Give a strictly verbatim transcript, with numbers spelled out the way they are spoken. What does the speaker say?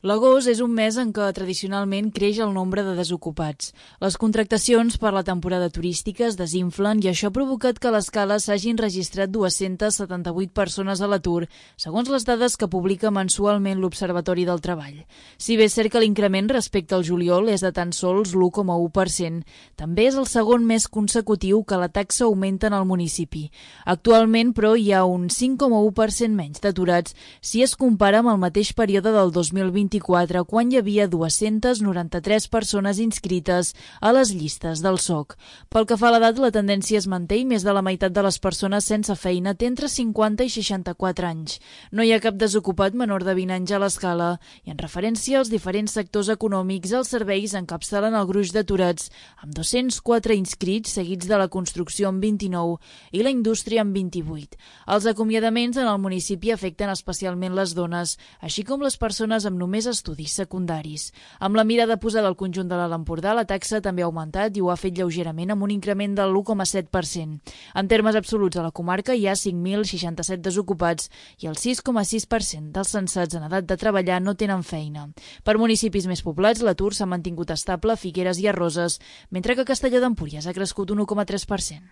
L'agost és un mes en què tradicionalment creix el nombre de desocupats. Les contractacions per la temporada turística es desinflen i això ha provocat que a l'escala s'hagin registrat dues-centes setanta-vuit persones a l'atur, segons les dades que publica mensualment l'Observatori del Treball. Si bé és cert que l'increment respecte al juliol és de tan sols l'u coma u per cent, també és el segon mes consecutiu que la taxa augmenta en el municipi. Actualment, però, hi ha un cinc coma u per cent menys d'aturats si es compara amb el mateix període del dos mil vint-i-quatre, quan hi havia dues-centes noranta-tres persones inscrites a les llistes del S O C. Pel que fa a l'edat, la tendència es manté i més de la meitat de les persones sense feina té entre cinquanta i seixanta-quatre anys. No hi ha cap desocupat menor de vint anys a l'escala i en referència als diferents sectors econòmics, els serveis encapçalen el gruix d'aturats amb dos-cents quatre inscrits, seguits de la construcció amb vint-i-nou i la indústria amb vint-i-vuit. Els acomiadaments en el municipi afecten especialment les dones, així com les persones amb només estudis secundaris. Amb la mirada posada al conjunt de l'Alt Empordà, la taxa també ha augmentat i ho ha fet lleugerament amb un increment del l'u coma set per cent. En termes absoluts, a la comarca hi ha cinc mil seixanta-set desocupats i el sis coma sis per cent dels censats en edat de treballar no tenen feina. Per municipis més poblats, l'atur s'ha mantingut estable a Figueres i a Roses, mentre que a Castelló d'Empúries ha crescut un u coma tres per cent.